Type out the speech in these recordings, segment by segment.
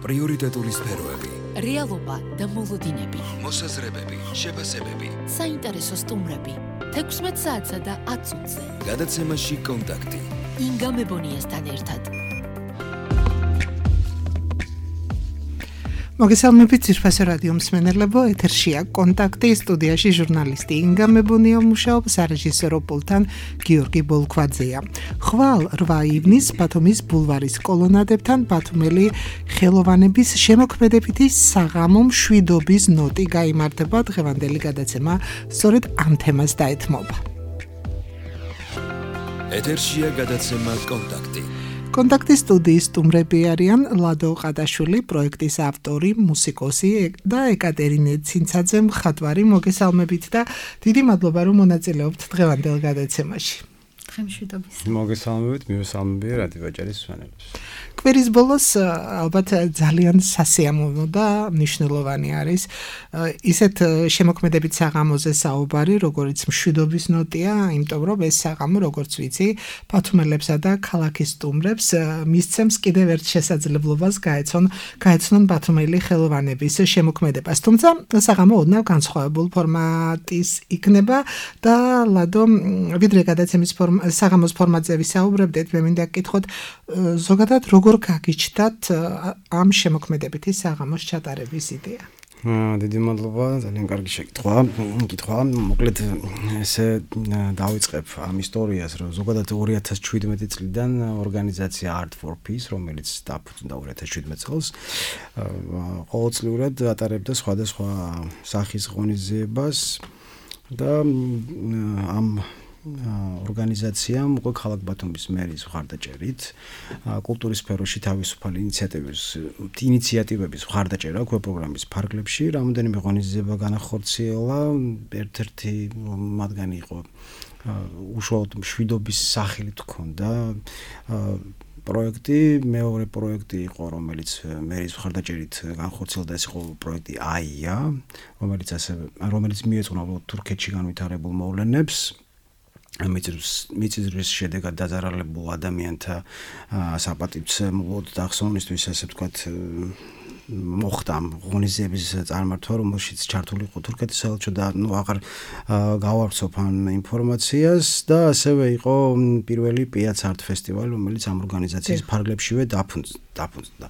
პრიორიტეტული სფეროები, რეალობა და მოლოდინები, მოსაზრებები, შეფასებები, საინტერესო სტუმრები, 16 საათსა და 10 წუთზე. გადაცემაში კონტაქტი. ინგა მებონიასთან ერთად. მოგესალმებით ძირფასო რადიო მსმენელებო, ეთერშია კონტაქტი, სტუდიაში ჟურნალისტი ინგა მებონია მუშაობს, სარეჟისორო პულტთან გიორგი ბოლქვაძეა. ხვალ 8 ივნისს ბათუმის ბულვარის კოლონადებთან ბათუმელი ხელოვანების შემოქმედებითი საღამო მშვიდობის ნოტი გაიმართება. დღევანდელი გადაცემა სწორედ ამ თემას დაეთმობა. ეთერშია გადაცემა კონტაქტი. კონტაქტის სტუდიის სტუმრები არიან ლადო ყადაშვილი, პროექტის ავტორი, მუსიკოსი და ეკატერინე ცინცაძე, მხატვარი. მოგესალმებით და დიდი მადლობა, რომ მონაწილეობთ დღევანდელ გადაცემაში. მშვიდობის. მოგესალმებით, მივესალმები რადიო ჯერის მსმენელებს. კვირის ბოლოს ალბათ ძალიან სასიამოვნო და მნიშვნელოვანი არის ისეთ შემოქმედებით საღამოზე საუბარი, როგორც მშვიდობის ნოტია, იმიტომ რომ ეს საღამო, როგორც ვიცი, ბათუმელებსა და ქალაქის სტუმრებს მისცემს კიდევ ერთ შესაძლებლობას გაეცნონ ბათუმელი ხელოვანების შემოქმედებას. თუმცა საღამო ოდნავ განსხვავებულ ფორმატის იქნება და ლადო, ვიდრე გადაცემის საღამოს ფორმატზე ვისაუბრებდით, მე მინდა გკითხოთ ზოგადად როგორ გაგიჩნდათ ამ შემოქმედებითი საღამოს ჩატარების იდეა? დიდი მადლობა, ძალიან კარგი კითხვა. მოკლედ ესე დავიწყებ ამ ისტორიას, რომ ზოგადად 2017 წლიდან ორგანიზაცია Art for Peace, რომელიც დაფუძნდა 2017 წელს, ყოველწლიურად ატარებდა სხვადასხვა სახის ღონისძიებას და ამ ორგანიზაციამ უკვე ქალაქ ბათუმის მერის მხარდაჭერით კულტურის სფეროში თავისუფალი ინიციატივების მხარდაჭერა აქვს პროგრამის ფარგლებში. რამოდენიმე ღონისძიება განახორციელა, ერთ-ერთი მათგანი იყო უშუალოდ მშვიდობის სახელით ჰქონდა პროექტი, მეორე პროექტი იყო, რომელიც მერის მხარდაჭერით განხორციელდა, ეს იყო პროექტი AIA, რომელიც მიეძღვნა თურქეთში განვითარებულ მოვლენებს. მიწისძვრის შედეგად დაზარალებულ ადამიანთა საპატივცემლოდ და ახსოვნისთვის, ასე ვთქვათ, მოხდა ღონისძიების წარმართვა, რომელშიც ჩართული იყო თურქეთის საელჩო და აღარ გავავრცობ ამ ინფორმაციას და ასევე იყო პირველი Piac Art Festival, რომელიც ამ ორგანიზაციის ფარგლებშივე დაფუძნდა.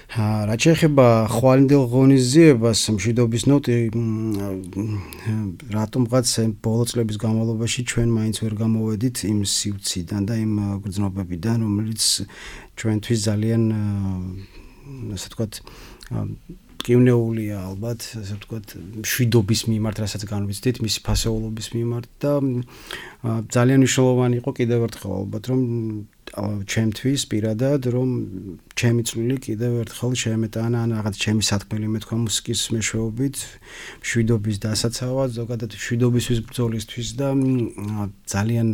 რაც შეეხება ხვალინდელ ღონისძიებას, მშვიდობის ნოტი, რატომღაც ბოლო წლების განმავლობაში ჩვენ მაინც ვერ გამოვედით იმ სივრციდან და იმ გრძნობებიდან, რომელიც ჩვენთვის ძალიან, ასე ვთქვათ, ტკივნეულია ალბათ, ასე ვთქვათ, მშვიდობის მიმართ, რასაც განვიცდით, მისი ფასეულობის მიმართ და ძალიან მნიშვნელოვანი იყო კიდევ ერთხელ ალბათ, რომ ჩემთვის პირადად, რომ ჩემი წვლილი კიდევ ერთხელ შეემეტანა ან რაღაც ჩემი სათქმელი მეთქვა მუსიკის მეშვეობით, მშვიდობის დასაცავად, ზოგადად მშვიდობისთვის ბრძოლისთვის და ძალიან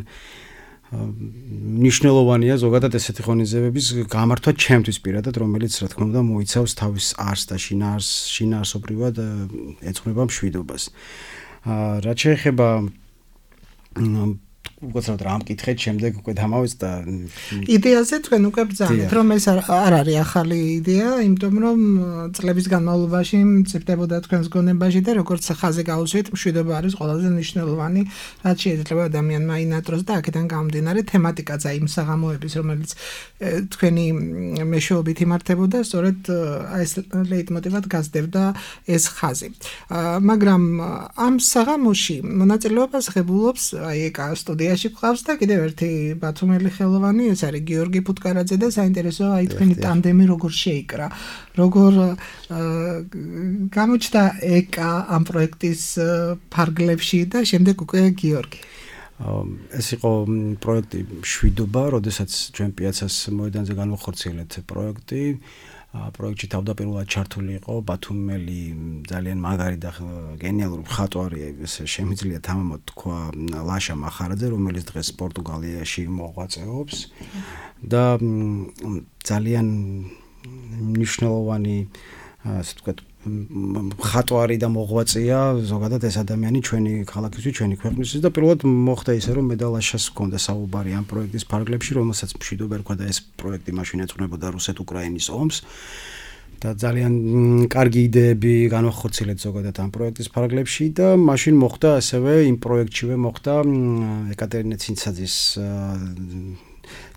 მნიშვნელოვანია ზოგადად ესეთი ღონისძიებების გამართვა ჩემთვის პირადად, რომელიც რა თქმა უნდა მოიცავს თავის არსს და შინაარსობრივად ეძღვნება მშვიდობას. რაც შეეხება უბრალოდ რამ კითხეთ, შემდეგ უკვე დამავიწყდა იდეაზე თქვენ უკვე ბრძანეთ, რომ ეს არ არის ახალი იდეა, იმიტომ რომ წლების განმავლობაში მწიფდებოდა თქვენს გონებაში და როგორც ხაზი გაუსვით, მშვიდობა არის ყველაზე მნიშვნელოვანი, რაც შეიძლება ადამიანმა ინატროს და აქედან გამომდინარე თემატიკაც აი იმ საღამოების, რომელიც თქვენი მეშვეობით იმართებოდა, სწორედ ეს ლეიტმოტივად გასდევდა ეს ხაზი. მაგრამ ამ საღამოში მონაწილეობას ღებულობს აი ეკა სტუდიაში გვყავს და კიდევ ერთი ბათუმელი ხელოვანი, ეს არის გიორგი ფუტკარაძე და საინტერესოა აი თქვენი ტანდემი როგორ შეიკრა, როგორ გამოჩნდა ეკა ამ პროექტის ფარგლებში და შემდეგ უკვე გიორგი. ეს იყო პროექტი მშვიდობა, როდესაც ჩვენ პიაცას მოედანზე განვახორციელეთ პროექტი. პროექტში თავდაპირველად ჩართული იყო ბათუმელი ძალიან მაგარი და გენიალური მხატვარი, შემიძლია თამამად თქვა, ლაშა მახარაძე, რომელიც დღეს პორტუგალიაში მოღვაწეობს და ძალიან მნიშვნელოვანი, ასე ვთქვათ, მხატვარი და მოღვაწეა ზოგადად ეს ადამიანი ჩვენი ქალაქისთვის, ჩვენი ქვეყნისთვის და პირველად მოხდა ისე რომ მე და ლაშას ჰქონდა საუბარი ამ პროექტის ფარგლებში, რომელსაც მშვიდობა ერქვა და ეს პროექტი მაშინ ეძღვნებოდა რუსეთ-უკრაინის ომს და ძალიან კარგი იდეები განვახორციელეთ ზოგადად ამ პროექტის ფარგლებში და მაშინ მოხდა ასევე იმ პროექტშივე მოხდა ეკატერინე ცინცაძის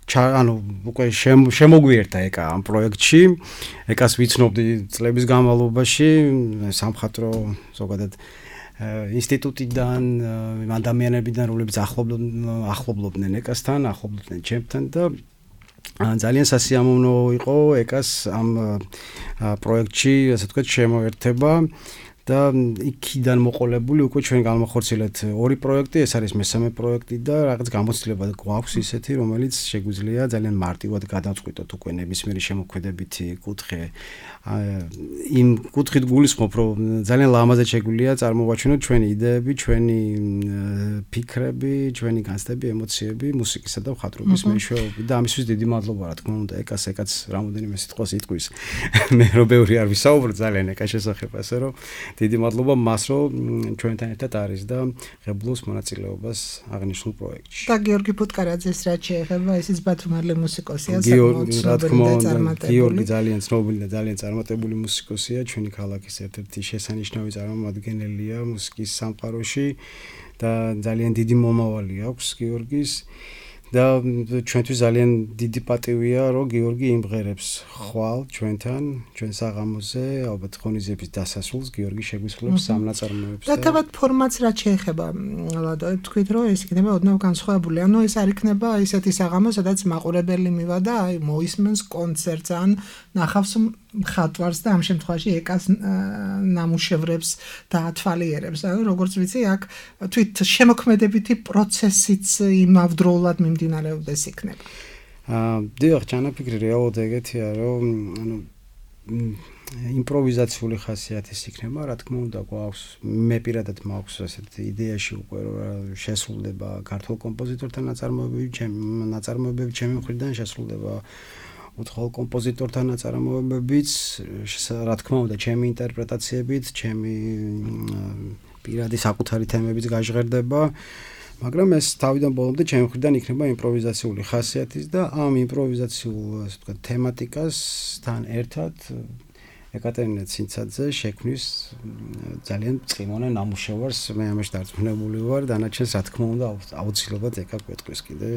ანუ უკვე შემოგვიერთა ეკა ამ პროექტში. ეკას ვიცნობდი წლების განმავლობაში სამხატვრო ზოგადად ინსტიტუტიდან ადამიანებიდან რომლებიც ახლობლობდნენ ეკასთან, ახლობლობდნენ ჩემთან და ძალიან სასიამოვნო იყო ეკას ამ პროექტში, ასე ვთქვათ, შემოერთება და იქიდან მოყოლებული უკვე ჩვენ განვახორციელეთ ორი პროექტი, ეს არის მესამე პროექტი და რაღაც გამოცდილება გვაქვს ისეთი, რომელიც შეგვიძლია ძალიან მარტივად გადავწყვიტოთ უკვე ნებისმიერი შემოქმედებითი კუთხე. იმ კუთხით გულისხმობ, რომ ძალიან ლამაზად შეგვიძლია წარმოვაჩინოთ ჩვენი იდეები, ჩვენი ფიქრები, ჩვენი განცდები, ემოციები მუსიკისა და მხატვრობის მეშვეობით და ამისთვის დიდი მადლობა რა თქმა უნდა ეკაც რამოდენიმე სიტყვას იტყვის. მე რო ბევრი არ ვისაუბრო ძალიან ეკას შესახებ, ასე რომ დიდი მადლობა მას, რომ ჩვენთან ერთად არის და ღებულობს მონაწილეობას აღნიშნულ პროექტში. და გიორგი ფუტკარაძეს რაც შეეხება, ისიც ბათუმელი მუსიკოსია, საკმაოდ ცნობილი და წარმატებული. გიორგი ძალიან ცნობილი და ძალიან წარმატებული მუსიკოსია, ჩვენი ქალაქის ერთ-ერთი შესანიშნავი წარმომადგენელია მუსიკის სამყაროში და ძალიან დიდი მომავალი აქვს გიორგის. და ჩვენთვის ძალიან დიდი პატივია, რომ გიორგი იმღერებს ხვალ ჩვენთან, ჩვენ საღამოზე, ალბათ ღონისძიების დასასრულს გიორგი შეგვისრულებს სამ ნაწარმოებს. და თავად ფორმატს რაც შეეხება, ლადო, თქვით რომ ეს იქნება ოდნავ განსხვავებული. ანუ ეს არ იქნება ისეთი საღამო, სადაც მაყურებელი მივა და აი მოისმენს კონცერტს ან ნახავს მხატვარს და ამ შემთხვევაში ეკას ნამუშევრებს და ათვალიერებს. ანუ როგორც ვიცი, აქ თვით შემოქმედებითი პროცესიც იმავდროულად მიმდინარეობდეს იქნება. დიახ, ჩანაფიქრი რეალურად ეგეთია, რომ ანუ იმპროვიზაციული ხასიათის იქნება, რა თქმა უნდა, გვაქვს მე პირადად მაქვს ასეთი იდეაში უკვე რომ შესრულდება ქართულ კომპოზიტორთა ნაწარმოებები, ჩემი მხრიდან შესრულდება უცხოელ კომპოზიტორთა ნაწარმოებებიც, რა თქმა უნდა, ჩემი ინტერპრეტაციებით, ჩემი პირადი საკუთარი თემებიც გაჟღერდება, მაგრამ ეს თავიდან ბოლომდე ჩემი მხრიდან იქნება იმპროვიზაციული ხასიათის და ამ იმპროვიზაციულ, ასე ვთქვათ, თემატიკასთან ერთად ეკატერინე ცინცაძე შექმნის ძალიან წვიმონა ნამუშევარს, მე ამაში დარწმუნებული ვარ, დანარჩენს რა თქმა უნდა აუცილებლად ეკა გვეტყვის კიდე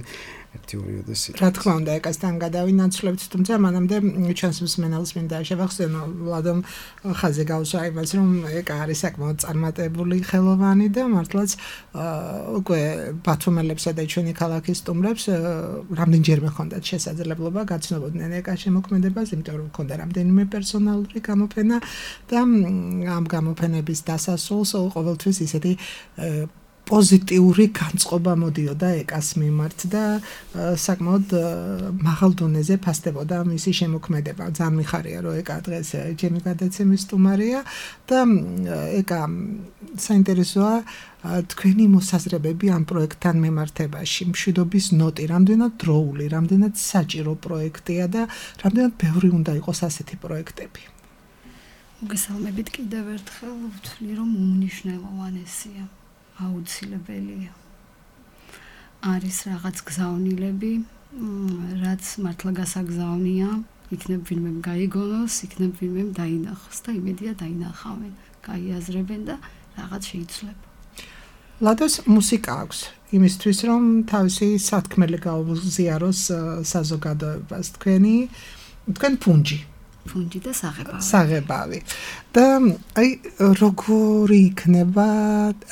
ერთი ორიოდეს. რა თქმა უნდა, ეკასთან გადავინაცვლებთ, თუმცა მანამდე ჩვენს მსმენელს მინდა შევახსენო, ლადომ ხაზე გავსვა იმას, რომ ეკა არის საკმაოდ წარმატებული ხელოვანი და მართლაც უკვე ბათუმელებსა და ჩვენი ქალაქის სტუმრებს რამდენჯერმე ჰქონდათ შესაძლებლობა გაცნობოდნენ ეკას შემოქმედებას, იმიტომ რომ ჰქონდა რამდენიმე პერსონალური გამოფენა და ამ გამოფენების დასასრულს ყოველთვის ისეთი პოზიტიური განწყობა მოდიოდა ეკას მიმართ და საკმაოდ მაღალ დონეზე ფასდებოდა მისი შემოქმედება. ძალიან მიხარია, რომ ეკა დღეს ჩემი გადაცემის სტუმარია და ეკა საინტერესოა თქვენი მოსაზრებები ამ პროექტთან მიმართებაში. მშვიდობის ნოტი, რამდენად დროული, რამდენად საჭირო პროექტია და რამდენად ბევრი უნდა იყოს ასეთი პროექტები. მოგესალმებით კიდევ ერთხელ, ვთვლი რომ უმნიშვნელოვანესია. აუცილებელია. არის რაღაც გზავნილები, რაც მართლა გასაგზავნია, იქნებ ვინმე გაიგონოს, იქნებ ვინმე დაინახოს და იმედია დაინახავენ, გაიაზრებენ და რაღაც შეიცვლება. ლადოს მუსიკა აქვს იმისთვის, რომ თავისი სათქმელი გაუზიაროს საზოგადოებას. თქვენ ფუნჯი და საღებავი. და აი როგორი იქნება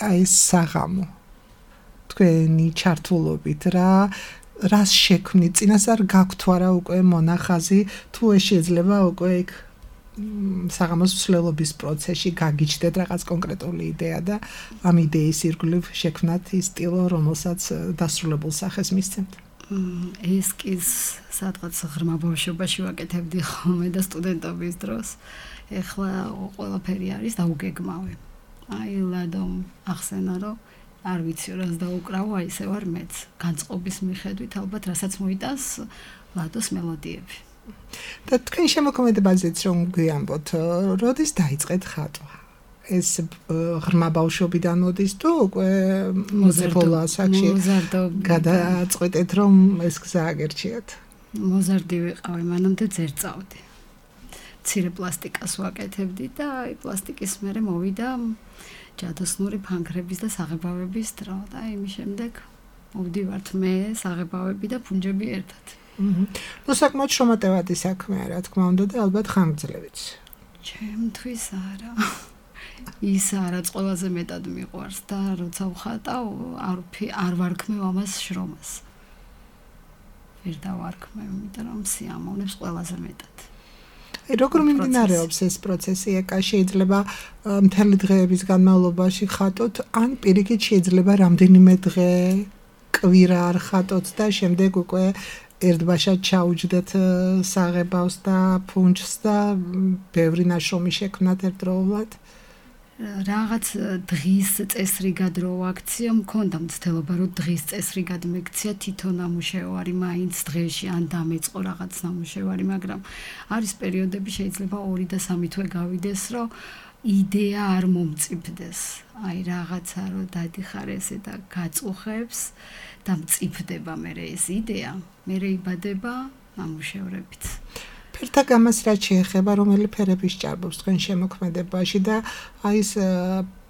აი საღამო თქვენი ჩართულობით რას შექმნით? წინასწარ გაქვთ არა უკვე მონახაზი, თუ ეს შეიძლება უკვე იქ საღამოს მსვლელობის პროცესში გაგიჩნდეთ რაღაც კონკრეტული იდეა და ამ იდეის ირგვლივ შექმნათ ის სტილო, რომელსაც დასრულებულ სახეს მისცემთ. ესკიზს სადღაც ღრმა ბავშვობაში ვაკეთებდი ხოლმე და სტუდენტობის დროს. ეხლა ყველაფერი არის დაუგეგმავე. აი ლადომ ახსენა, რომ არ ვიცი რას დაუკრავო, აი ესე ვარ მეც. განწყობის მიხედვით ალბათ რასაც მოიტანს ლადოს მელოდიები. და თქვენ შემოქმედებაზეც რომ გვიამბოთ, როდის დაიწყეთ ხატვა? ეს ღრმა ბავშვობიდან მოდის თუ უკვე მოზარდო ასაკში გადაწყვეტეთ რომ ეს გზა აგერჩიათ? მოზარდი ვიყავი, მანამდე ძერწავდი. მცირე პლასტიკას ვაკეთებდი და აი პლასტიკის მერე მოვიდა ჯადოსნური ფანქრების და საღებავების დრო და იმის შემდეგ მოვდივართ მე საღებავები და ფუნჯები ერთად. ნუ საკმაოდ შრომატევადი საქმეა, რა თქმა უნდა და ალბათ ხანგრძლივიც. ჩემთვის არა. ის რაც ყველაზე მეტად მიყვარს და როცა ვხატავ არ ვარქმევ ამას შრომას. ვერ დავარქმევ, იმიტომ რომ სიამოვნებს ყველაზე მეტად. როგორ მიმდინარეობს ეს პროცესი? ეკა შეიძლება მთელი დღეების განმავლობაში ხატოთ, ან პირიქით შეიძლება რამდენიმე დღე კვირა არ ხატოთ და შემდეგ უკვე ერთბაშად ჩაუჯდეთ საღებავს და ფუნჯს და ბევრი ნაშრომი შექმნათ ერთდროულად. რაღაც დღის წესრიგად რო აქცია მქონდა მცდელობა რომ დღის წესრიგად მეკცია თვითონ ნამუშევარი მაინც დღეში ან დამეწყო რაღაც ნამუშევარი, მაგრამ არის პერიოდები შეიძლება 2 და 3 თვე გავიდეს რომ იდეა არ მომწიფდეს. აი რაღაცა რომ დადიხარ ესე და გაწუხებს და მწიფდება მერე ეს იდეა, მერე იბადება ნამუშევრებით. ფერთა გამას რაც შეეხება, რომელი ფერების ჭარბობს თქვენ შემოქმედებაში და აი ეს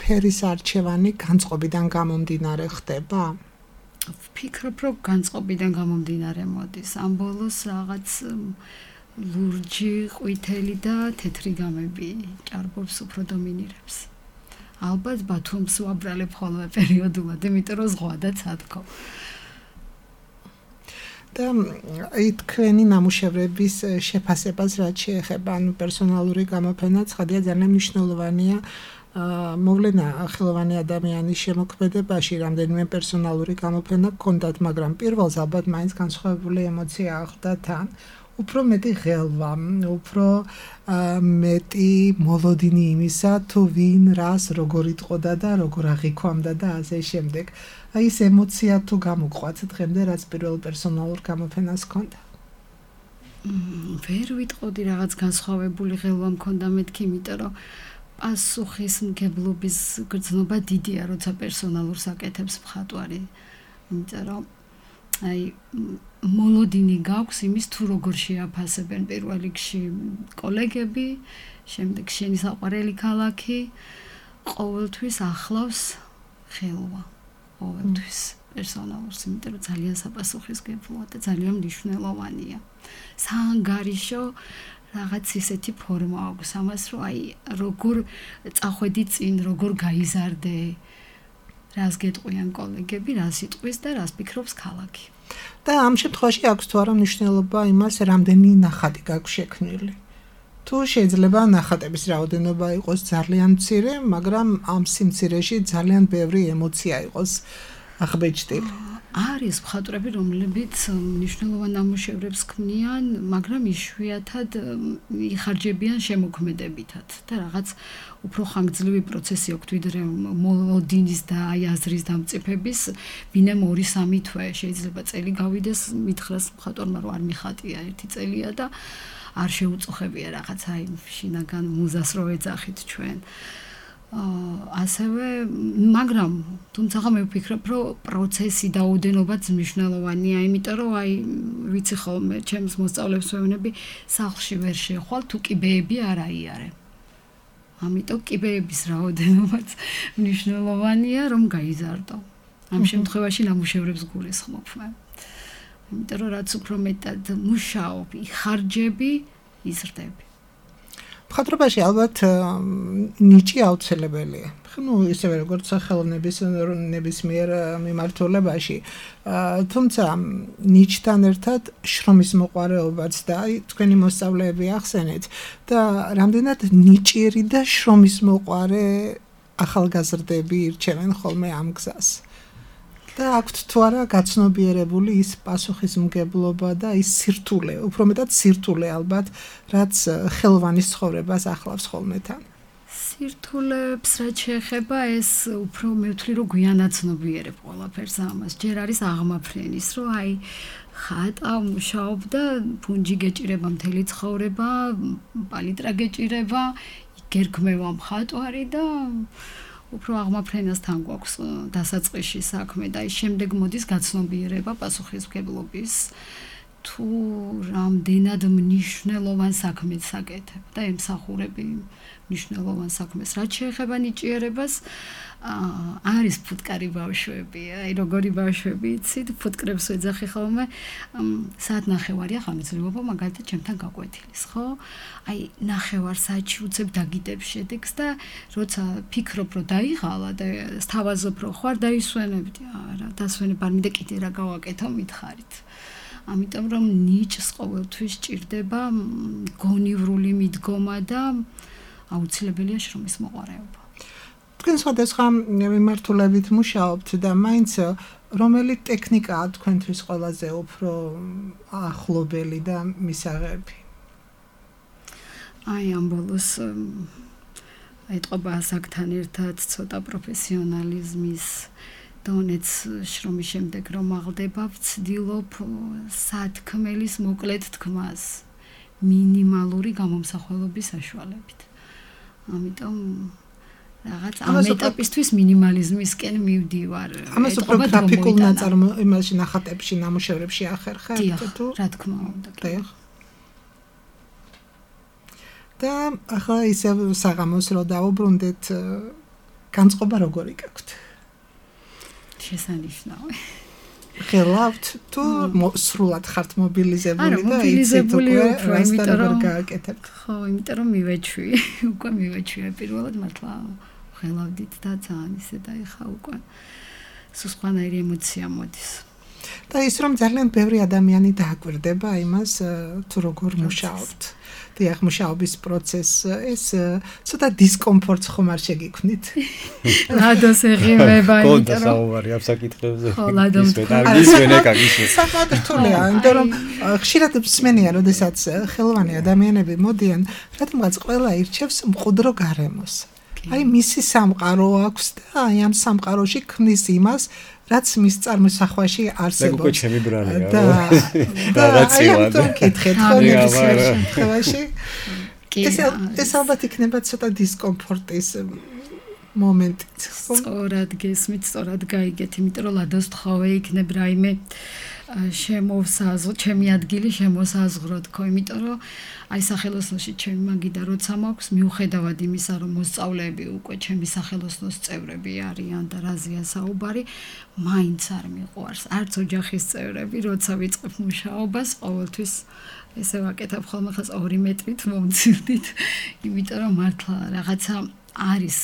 ფერის არჩევანი განწყობიდან გამომდინარე ხდება? ვფიქრობ, რომ განწყობიდან გამომდინარე მოდის. ამ ბოლოს რაღაც ლურჯი, ყვითელი და თეთრი გამები ჭარბობს უფრო დომინირებს. ალბათ ბათუმს ვაბრალებ ხოლმე პერიოდულად, იმიტომ რომ ზღვა და ცადქო. და აი თქვენი ნამუშევრების შეფასებას რაც შეეხება, ანუ პერსონალური გამოფენა ცხადია ძალიან მნიშვნელოვანია. მოვლენა ხელოვანი ადამიანის შემოქმედებაში რამდენიმე პერსონალური გამოფენა გქონდათ, მაგრამ პირველს ალბათ მაინც განსხვავებული ემოცია ახვდა თან. უფრო მეტი ღელვა, უფრო მეტი მოლოდინი იმისა, თუ ვინ რას როგორ იტყოდა და როგორ აღიქვამდა და ასე შემდეგ. აი ეს ემოცია თუ გამოგყვათ დღემდე, რაც პირველ პერსონალურ გამოფენას ჰქონდა? ვერ ვიტყოდი რაღაც განსხვავებული ღელვა მქონდა მეთქი, იმიტომ რომ პასუხისმგებლობის გრძნობა დიდია, როცა პერსონალურს აკეთებს მხატვარი. იმიტომ რომ აი მოლოდინი გაქვს იმის თუ როგორ შეაფასებენ პირველ რიგში კოლეგები, შემდეგ შენი საყვარელი ქალაქი, ყოველთვის ახლავს ხელვა, ყოველთვის პერსონალურს, იმიტომ რომ ძალიან საპასუხისმგებლოა და ძალიან მნიშვნელოვანია. საანგარიშო რაღაც ისეთი ფორმა აქვს ამას, რომ აი როგორ წახვედი წინ, როგორ გაიზარდე, რას გეტყვიან კოლეგები, რას იტყვის და რას ფიქრობს ქალაქი. და ამ შემთხვევაში აქვს თუ არა მნიშვნელობა იმას, რამდენი ნახატი გაქვს შექმნილი. თუ შეიძლება ნახატების რაოდენობა იყოს ძალიან მცირე, მაგრამ ამ სიმცირეში ძალიან ბევრი ემოცია იყოს აღბეჭდილი. არის მხატვრები, რომლებიც მნიშვნელოვან ნამუშევრებს ქმნიან, მაგრამ იშვიათად იხარჯებიან შემოქმედებითად და რაღაც უფრო ხანგრძლივი პროცესი აქვს ვიდრე მოლოდინის და აი აზრის დამწიფების, ბინემ 2-3 თვე შეიძლება წელი გავიდეს, მითხრას მხატვარმა რომ არ მიხატია 1 წელია და არ შეუწუხებია რაღაც აი შინაგან მუზას რო ეძახით ჩვენ. ასევე მაგრამ თუმცა მე ვფიქრობ რომ პროცესი და ოდენობაც მნიშვნელოვანია, იმიტომ რომ აი ვიცი ხოლმე ჩემს მოსწავლეებს ვეუბნები სახლში ვერ შეხვალ თუ კიბეები არ აიარე. ამიტომ კიბეების რაოდენობაც მნიშვნელოვანია რომ გაიზარდო. ამ შემთხვევაში ნამუშევრებს გულისხმობ მე. იმიტომ რომ რაც უფრო მეტად მუშაობ, იხარჯები, იზრდები. მხატვრობაში ალბათ ნიჭი აუცილებელია. ნუ ისევე როგორც ხელოვნების ნებისმიერ მიმართულებაში. თუმცა ნიჭთან ერთად შრომის მოყვარეობაც და აი თქვენი მოსწავლეები ახსენეთ და რამდენად ნიჭიერი და შრომის მოყვარე ახალგაზრდები ირჩევენ ხოლმე ამ გზას. და აქვთ თუ არა გაცნობიერებული ის პასუხისმგებლობა და ის სირთულე, უფრო მეტად სირთულე ალბათ, რაც ხელოვანის ცხოვრებას ახლავს ხოლმე თან. სირთულეებს რაც შეეხება ეს უფრო მე ვთვლი რომ გვიანაცნობიერებ ყველაფერს ამას. ჯერ არის აღმაფრენის, რომ აი ხატა მუშაობ და ფუნჯი გეჭირება მთელი ცხოვრება, პალიტრა გეჭირება, გერქმევა მხატვარი და უფრო აღმაფრენასთან გვაქვს დასაწყისში საქმე და ის შემდეგ მოდის გაცნობიერება პასუხისმგებლობის. თუ რამდენად მნიშვნელოვან საქმეს აკეთებ და ემსახურები მნიშვნელოვან საქმეს. რაც შეეხება ნიჭიერებას, არის ფუტკარი ბავშვები, აი როგორი ბავშვები იცით, ფუტკრებს ვეძახი ხოლმე, საათ ნახევარია ხანძრიობა მაგალითად ჩემთან გაკვეთილის, ხო? აი ნახევარ საათში უცებ დაგიდებ შედეგს და როცა ფიქრობ რომ დაიღალა და სთავაზობ რომ ხარ დაისვენებდი, არა, დასვენებ არ მინდა კიდე რა გავაკეთო მითხარით. ამიტომ რომ ნიჭს ყოველთვის ჭირდება გონივრული მიდგომა და აუცილებელია შრომის მოყვარეობა. თქვენ სხვადასხვა მიმართულებით მუშაობთ და მაინც რომელი ტექნიკაა თქვენთვის ყველაზე უფრო ახლობელი და მისაღები? აი ამ ბოლოს ეტყობა ასაკთან ერთად ცოტა პროფესიონალიზმის დონეც შრომის შემდეგ რომ აღდება, ვცდილობ სათქმელის მოკლედ თქმას მინიმალური გამომსახველობის საშუალებით. ამიტომ რაღაც ამ ეტაპისთვის მინიმალიზმისკენ მივდივარ. ამას უფრო გრაფიკულ იმაში ნახატებში, ნამუშევრებში ახერხებთ თუ? რა თქმა უნდა. და ახლა ისევ საღამოს რო დაუბრუნდეთ, განწყობა როგორი გაქვთ? შესანიშნავი. ხელავთ თუ სრულად ხართ მობილიზებული და იცით უკვე რასთან გააკეთებთ? ხო, იმიტომ რომ უკვე მივეჩვია პირველად მართლა ხელავდით და ძალიან ისე დაიხა უკვე სულ სხვანაირი ემოცია მოდის. და ის რომ ძალიან ბევრი ადამიანი დააკვირდება იმას თუ როგორ მუშაობთ. დიახ, მუშაობის პროცესს ეს ცოტა დისკომფორტს ხომ არ შეგიქმნით? ლადოს ეღიმება, იმიტომ რომ საუბარი ამ საკითხებზე. ხო, ლადომ საკმაოდ რთულია, იმიტომ რომ ხშირად მსმენია, როდესაც ხელოვანი ადამიანები მოდიან, რადგანაც ყველა ირჩევს მყუდრო გარემოს. აი მისი სამყარო აქვს და აი ამ სამყაროში ქმნის იმას, რაც მის წარმოსახვაში არსებობს. უკვე ჩემი ბრალია. და რაციონალურად კითხეთ ხოლმე ეს ალბათ იქნება ცოტა დისკომფორტის მომენტიც. სწორად გესმით, სწორად გაიგეთ, იმიტომ რომ ლადოს თხოვე იქნებ რაიმე შემოსაზღვროთ, ჩემი ადგილი შემოსაზღვროთ, ხო, იმიტომ რომ აი სახელოსნოში ჩემი მაგიდა როცა მაქვს, მიუხედავად იმისა, რომ მოსწავლეები უკვე ჩემი სახელოსნოს წევრები არიან და რაზეა საუბარი, მაინც არ მიყვარს, არც ოჯახის წევრები, როცა ვიწყებ მუშაობას, ყოველთვის ესე ვაკეთებ ხოლმე ხას 2 მეტრით მომცირდით, იმიტომ რომ მართლა რაღაცა არის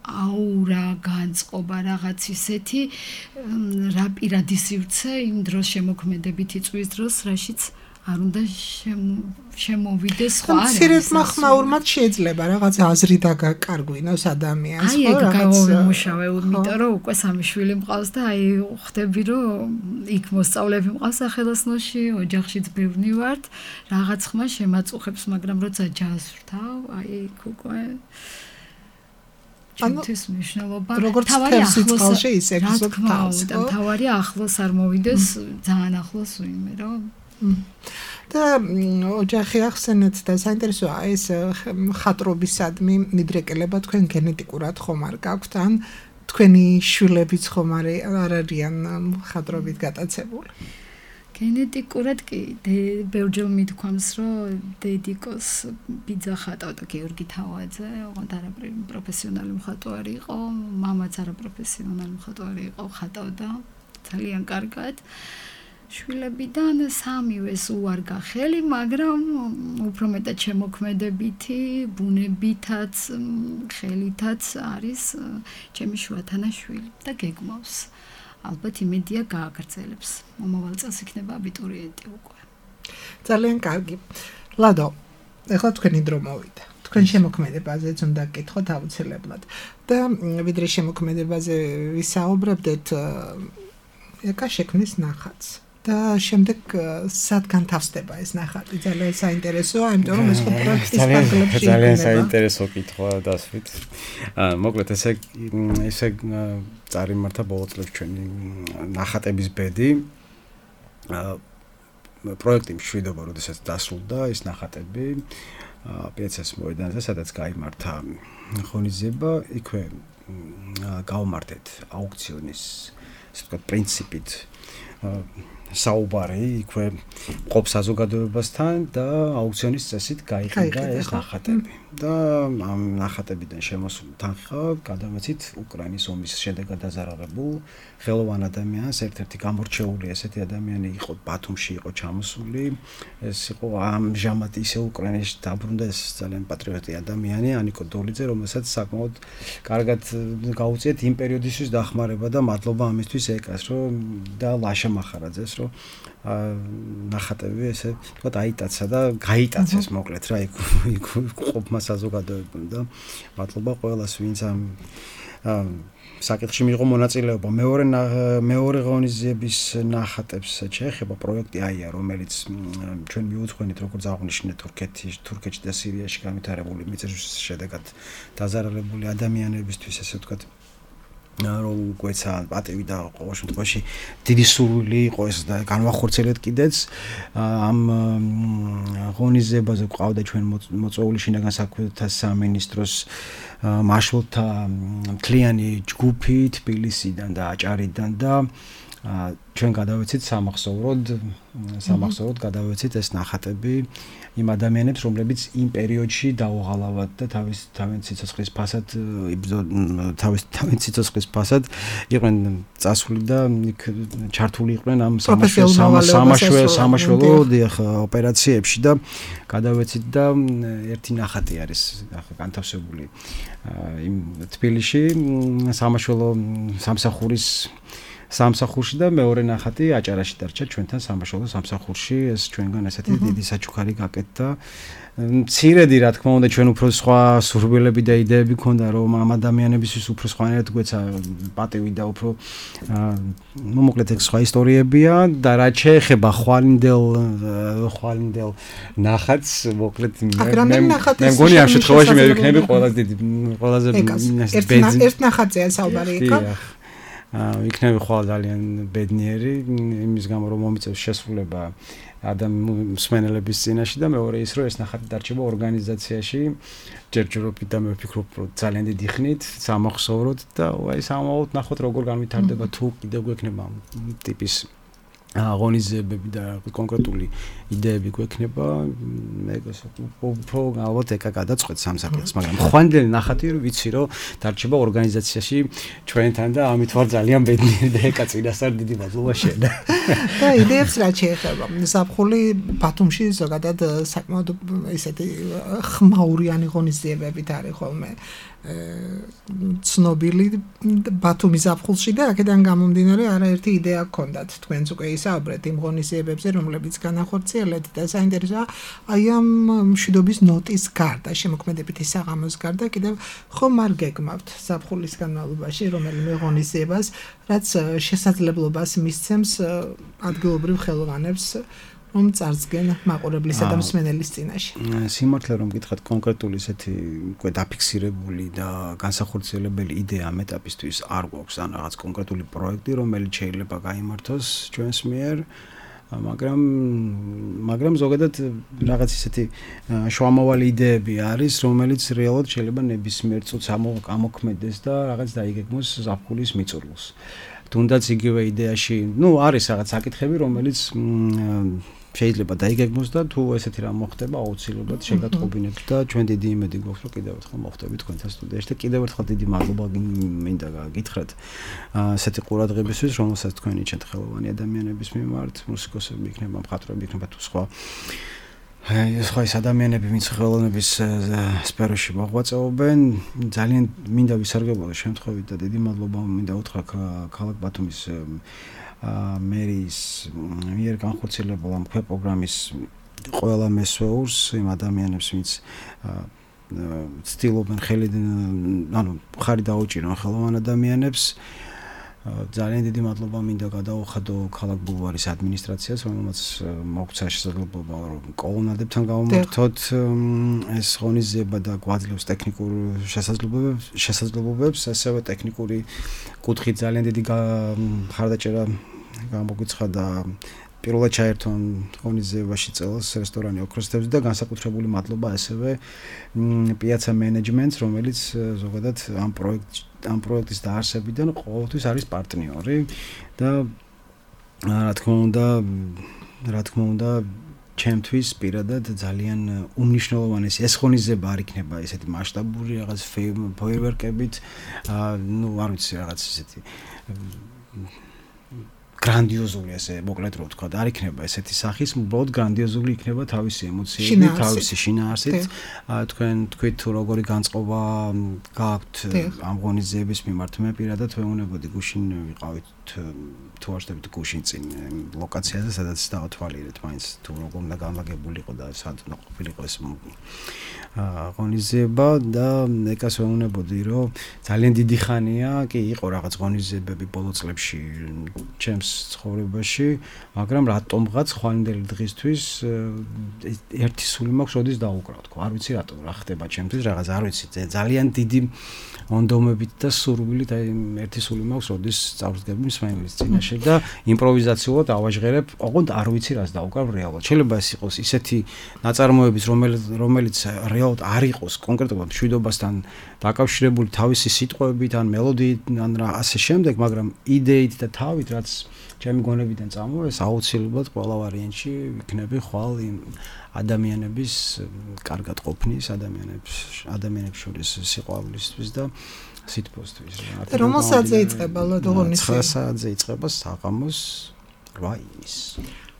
აურა, განწყობა, რაღაც ისეთი რა პირადი სივრცე იმ დროს შემოქმედებით იწვის დროს, რაშიც არ უნდა შემოვიდეს სხვა არის. მცირედ მახმაურმად შეიძლება რაღაც აზრი დაგაკარგვინოს ადამიანს, ხო, რაღაც. აი, გავიმუშავე, იმიტომ რომ უკვე 3 შვილი მყავს და აი ხვდები, რომ იქ მოსწავლეები მყავს სახელოსნოში, ოჯახშიც ბევრი ვართ, რაღაც ხმა შემაწუხებს, მაგრამ როცა ჯაზს ვთავ, აი იქ უკვე ჩემთვის მნიშვნელობა თავარი ახლოს ისე გზობს და თავარი ახლოს არ მოვიდეს ძალიან ახლოს ვინმე რომ და ოჯახი ახსენეთ და საინტერესოა ეს ხატრობისადმი მიდრეკელება თქვენ გენეტიკურად ხომ არ გაქვთ ან თქვენი შვილებიც ხომ არ არიან ხატრობით გატაცებული? გენეტიკურად კი ბევრჯერ მithქვამს რომ დედიკოს ბიძა ხატავდა გიორგი თავაძე, ოღონდ არაფერი პროფესიონალი მხატვარი იყო, მამაც არაპროფესიონალი მხატვარი იყო, ხატავდა ძალიან კარგად. შვილებიდან 3-ვეს უარგა ხელი, მაგრამ უფრო მეტად შემოქმედებითი, ბუნებითაც, ხელითაც არის ჩემი შუათანა-შვილი და გეგმავს. ალბათ იმედია გააგრძელებს. მომავალ წელს იქნება აბიტურიენტი უკვე. ძალიან კარგი. ლადო, ეხლა თქვენი დრო მოვიდა. თქვენ შემოქმედებაზეც უნდა გკითხოთ აუცილებლად. და ვიდრე შემოქმედებაზე ვისაუბრებდეთ, ეკა შექმნის ნახატს. და შემდეგ სად განთავსდება ეს ნახატი? ძალიან საინტერესოა, იმიტომ რომ ეს პროექტის ფარგლებში ძალიან საინტერესო კითხვა დასვით. მოკლედ ესე წარიმართა ბოლო წლებში ჩვენი ნახატების ბედი პროექტი მშვიდობა, როდესაც დასრულდა ეს ნახატები პიეცას მოედანზე, სადაც გაიმართა ღონისძიება, იქვე გავმართეთ აუქციონის, ასე ვთქვათ, პრინციპით საუბარი იქვე ყოფ საზოგადოებასთან და აუქციონის წესით გაიყიდა ეს ნახატები და ამ ნახატებიდან შემოსული თანხა გადავეცით უკრაინის ომის შედეგად დაზარალებულ ხელოვან ადამიანს ერთ-ერთი გამორჩეული ესეთი ადამიანი იყო ბათუმში იყო ჩამოსული ეს იყო ამჟამად ისე უკრაინაში დაბრუნდა ეს ძალიან პატრიოტი ადამიანი ანიკო დოლიძე რომელსაც საკმაოდ კარგად გაუწიეთ იმ პერიოდისთვის დახმარება და მადლობა ამისთვის ეკას რომ და ლაშა მახარაძეს რომ ნახატები ესე თქვა აიტაცა და გაიტაცეს მოკლედ რა იქ ყოფმა საზოგადოებამ და მადლობა ყველას ვინც ამ საკითხში მიიღო მონაწილეობა მეორე ღონისძიების ნახატებს შეეხება პროექტი აია რომელიც ჩვენ მიუძღვენით როგორც აღნიშნეთ თურქეთში და სირიაში განვითარებული მიწების შედეგად დაზარალებული ადამიანებისთვის ესე ვთქვათ რომ გვეცა პატივი და ყოველ შემთხვევაში დიდი სურვილი იყო ეს და განვახორციელეთ კიდეც ამ ღონისძიებაზე გვყავდა ჩვენ მოწვეული შინაგან საქმეთა სამინისტროს მაშველთა მთლიანი ჯგუფი თბილისიდან და აჭარიდან და ჩვენ გადავეცით სამახსოვროდ გადავეცით ეს ნახატები იმ ადამიანებს რომლებიც იმ პერიოდში დაუღალავად და თავის სიცოცხლის ფასად იყვნენ წასული და იქ ჩართული იყვნენ ამ სამაშველო ოპერაციებში და გადავეცით და ერთი ნახატი არის განთავსებული იმ თბილისში სამაშველო სამსახურში და მეორე ნახატი აჭარაში დარჩა ჩვენთან სამაშველო სამსახურში ეს ჩვენგან ესეთი დიდი საჩუქარი გაკეთდა მცირედი რა თქმა უნდა ჩვენ უფრო სხვა სურვილები და იდეები ქონდა რომ ამ ადამიანებისთვის უფრო სხვანაირად გვეცა პატივი და უფრო მოკლედ ეს სხვა ისტორიებია და რა შეეხება ხვალინდელ ნახატს მოკლედ მე მგონი ამ შემთხვევაში მე ვიქნები ყველაზე ერთ ნახატზეა საუბარი იქა იქნები ხვალ ძალიან ბედნიერი იმის გამო რომ მომიწევს შესრულება მსმენელების წინაშე და მეორე ის რომ ეს ნახატი დარჩება ორგანიზაციაში ჯერჯერობით და მე ვფიქრობ რომ ძალიან დიდი ხნით სამახსოვროდ და აი სამაოდ ნახოთ როგორ განვითარდება თუ კიდევ გვექნება ტიპის ღონისძიებები და კონკრეტული იდეები გვექნება მეგოს უფრო ალბათ ეკა გადაწყვეტს ამ საკითხს მაგრამ ხვანდელი ნახატი რომ ვიცი რომ დარჩება ორგანიზაციაში ჩვენთან და ამით ვარ ძალიან ბედნიერი და ეკა წინასწარ დიდი მადლობა შენ და იდეებს რა შეეხება ზაფხული ბათუმში ზოგადად საკმაოდ ესეთი ხმაურიანი ღონისძიებებით არის ხოლმე ცნობილი ბათუმის ზაფხულში და აქედან გამომდინარე არაერთი იდეა გქონდათ თქვენც უკვე ისაუბრეთ იმ ღონისძიებებზე რომლებიც განახორციელეთ და საინტერესოა აი ამ მშვიდობის ნოტის გარდა შემოქმედებითი საღამოს გარდა კიდევ ხომ არ გეგმავთ ზაფხულის განმავლობაში რომელიმე ღონისძიებას რაც შესაძლებლობას მისცემს ადგილობრივ ხელოვანებს რომ წარსდგენ მაყურებლისა და მსმენელის წინაშე. სიმართლე რომ გითხრათ კონკრეტული ესეთი უკვე დაფიქსირებული და განსახორციელებელი იდეა ამ ეტაპისთვის არ გვაქვს ან რაღაც კონკრეტული პროექტი რომელიც შეიძლება გაიმართოს ჩვენს მიერ მაგრამ ზოგადად რაღაც ისეთი შუამავალი იდეები არის რომელიც რეალურად შეიძლება ნებისმიერ წუთს ამოქმედეს და რაღაც დაიგეგმოს ზაფხულის მიწურულს. თუნდაც იგივე იდეაში, არის რაღაც საკითხები, რომელიც შეიძლება დაიგეგმოს და თუ ესეთი რამ მოხდება, აუცილებლად შეგატყობინებთ და ჩვენ დიდი იმედი გვაქვს, რომ კიდევ ერთხელ მოხვდებით თქვენთან სტუდიაში და კიდევ ერთხელ დიდი მადლობა მინდა გითხრათ ასეთი ყურადღებისთვის, რომელსაც თქვენი ჩეთ ხელოვანი ადამიანების მიმართ, მუსიკოსები იქნება, მხატვრები იქნება თუ სხვა სხვა ადამიანები ვინც ხელოვნების სფეროში მოღვაწეობენ ძალიან მინდა ვისარგებლო შემთხვევით და დიდი მადლობა მინდა უთხრა ქალაქ ბათუმის მერის მიერ განხორციელებულ ამ პროგრამის ყველა მესვეურს იმ ადამიანებს ვინც ცდილობენ ხარი დაუჭირონ ხელოვან ადამიანებს ძალიან დიდი მადლობა მინდა გადაუხადო ქალაქ ბულვარის ადმინისტრაციას, რომელმაც მოგცა შესაძლებლობა რომ კოლონადებთან გავამართოთ ეს ღონისძიება და გვაძლევს ტექნიკურ შესაძლებლობებს, ასევე ტექნიკური კუთხით ძალიან დიდი მხარდაჭერა გამოგვიცხადა პირველად ჩაერთონ ღონისძიებაში წელს რესტორანი ოქროს თევზი და განსაკუთრებული მადლობა ასევე პიაცა მენეჯმენტს, რომელიც ზოგადად ამ პროექტის დაარსებიდან ყოველთვის არის პარტნიორი და რა თქმა უნდა ჩემთვის პირადად ძალიან უმნიშვნელოვანესი ეს ღონისძიება არ იქნება ესეთი მასშტაბური რაღაც ფეიერვერკებით არ ვიცი რაღაც ესეთი გრანდიოზული ესე მოკლედ რო ვთქვა არ იქნება ესეთი სახის უბრალოდ გრანდიოზული იქნება თავისი ემოციები თავისი შინაარსით თქვით თუ როგორი განწყობა გაქვთ ამ ღონისძიების მიმართ მე პირადად ვეუბნებოდი გუშინ ვიყავით თუ არ შევდით გუშინ წინ ლოკაციაზე სადაც დავთვალიერეთ მაინც თუ როგორ უნდა განლაგებულიყო და სად უნდა ყოფილიყო ეს ღონისძიება და ეკას ვეუბნებოდი რომ ძალიან დიდი ხანია კი იყო რაღაც ღონისძიებები ბოლო წლებში ჩემს ცხოვრებაში, მაგრამ რატომღაც ხვალინდელი დღისთვის ერთი სული მაქვს, როდის დაუკრავ თქო. არ ვიცი რატომ რა ხდება ჩემთვის, რაღაც არ ვიცი, ძალიან დიდი მონდომებით და სურვილით აი ერთი სული მაქვს, როდის წავსდგები მსმენელის წინაშე და იმპროვიზაციულად ავაჟღერებ, ოღონდ არ ვიცი რას დაუკრავ რეალურად. შეიძლება ეს იყოს ისეთი ნაწარმოების, რომელიც რეალურად არ იყოს კონკრეტულად მშვიდობასთან დაკავშირებული თავისი სიტყვებით ან მელოდიით ან რა ასე შემდეგ, მაგრამ იდეით და თავით რაც ჩემი გონებიდან წამოვა, ეს აუცილებლად ყველა ვარიანტში ვიქნები ხვალ იმ ადამიანების კარგად ყოფნის, ადამიანებს შორის სიყვარულისთვის და სითბოსთვის. რომელ საათზე იწყება ლოდოგონისება? 9 საათზე იწყება საღამოს 8 იმის.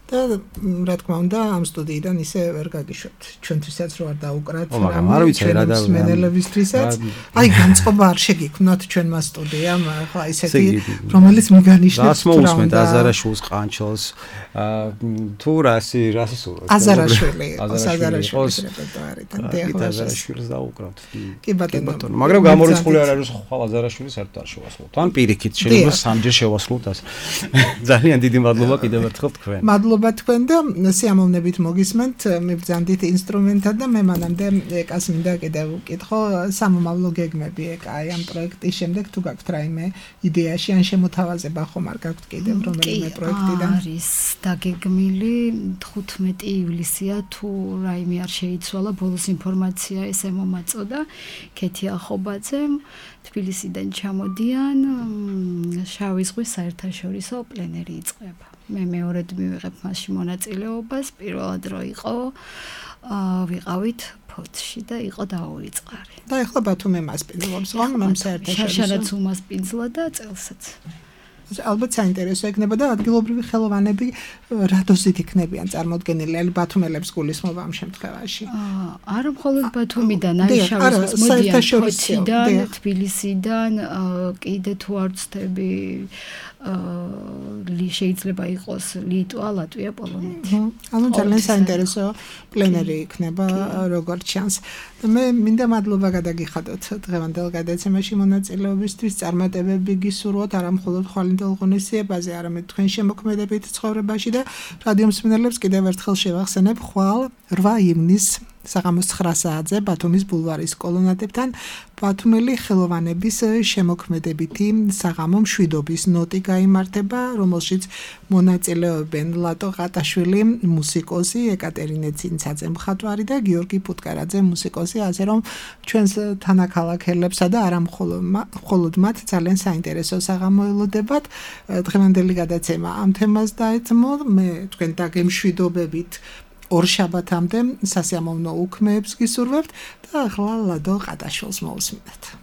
და რა თქმა უნდა ამ სტუდიიდან ისე ვერ გაგიშვებთ ჩვენთვისაც რო არ დაუკრათ არ ვიცი რა და მსმენელებისთვისაც აი განწყობა არ შეგიქმნათ ჩვენმა სტუდიამ ახლა ისეთი რომელიც მიგანიშნებს რას მოусმენთ აზარაშვილის ყანჩელს თუ რასი სურვათ აზარაშვილის რეპერტუარიდან აზარაშვილს დაუკრავთ კი ბატონო მაგრამ გამორიცხული არ არის ხვალ აზარაშვილის საერთოდ არ შევასრულოთ ან პირიქით შეიძლება სამჯერ შევასრულოთ ასე ძალიან დიდი მადლობა კიდევ ერთხელ თქვენ თქვენ და სიამოვნებით მოგისმენთ მიბრძანდით ინსტრუმენტად და მე მანამდე ეკას მინდა კიდევ ვკითხო სამომავლო გეგმები ეკა აი ამ პროექტის შემდეგ თუ გაქვთ რაიმე იდეაში ან შემოთავაზება ხომ არ გაქვთ კიდევ რომელიმე პროექტიდან არის დაგეგმილი 15 ივლისია თუ რაიმე არ შეიცვალა ბოლოს ინფორმაცია ესე მომაწოდა ქეთი ახობაძემ თბილისიდან ჩამოდიან შავი ზღვის საერთაშორისო პლენერი იწყება მე მეორედ მივიღებ მასში მონაწილეობას პირველად რო იყო ვიყავით ფოთში და იყო დაუვიწყარი და ეხლა ბათუმი მასპინძლობს ხომ ამ საერთაშორისო შაშანაც უმასპინძლა და წელსაც ალბათ საინტერესო იქნება და ადგილობრივი ხელოვანები რა დოზით იქნებიან წარმოდგენილი ან ბათუმელებს გულისხმობა ამ შემთხვევაში არა მხოლოდ ბათუმიდან აი შავიზღვის მოდიან ფოთიდან თბილისიდან კიდე თუ არ ვცდები შეიძლება იყოს ლიტვა, ლატვია, პოლონეთი. ანუ ძალიან საინტერესო პლენერი იქნება როგორც ჩანს. მე მინდა მადლობა გადაგიხადოთ დღევანდელ გადაცემაში მონაწილეობისთვის, წარმატებები გისურვოთ არა მხოლოდ ხვალინდელ ღონისძიებაზე, არამედ თქვენ შემოქმედებით ცხოვრებაში და რადიო მსმენელებს კიდევ ერთხელ შევახსენებ ხვალ 8 ივნისს საღამოს 9 საათზე ბათუმის ბულვარის კოლონადებთან ბათუმელი ხელოვანების შემოქმედებითი საღამო მშვიდობის ნოტი გაიმართება, რომელშიც მონაწილეობენ ლატო ყატაშვილი, მუსიკოსი, ეკატერინე ცინცაძე მხატვარი და გიორგი პუტკარაძე მუსიკოსი, ასე რომ ჩვენს თანაქალაქელებსა და არა მხოლოდ მათ ძალიან საინტერესო საღამო ელოდებათ. დღევანდელი გადაცემა ამ თემას დაეთმო, მე თქვენ დაგემშვიდობებით ორშაბათამდე სასიამოვნო უქმეებს გისურვებთ და ახლა ლადო ყატაშვილს მოусმინეთ.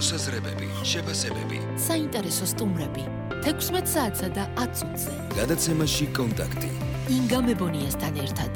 მოსაზრებები, შეფასებები. საინტერესო სტუმრები 16 საათსა და 10 წუთზე. გადაცემაში კონტაქტი. ინგა მებონიასთან ერთად.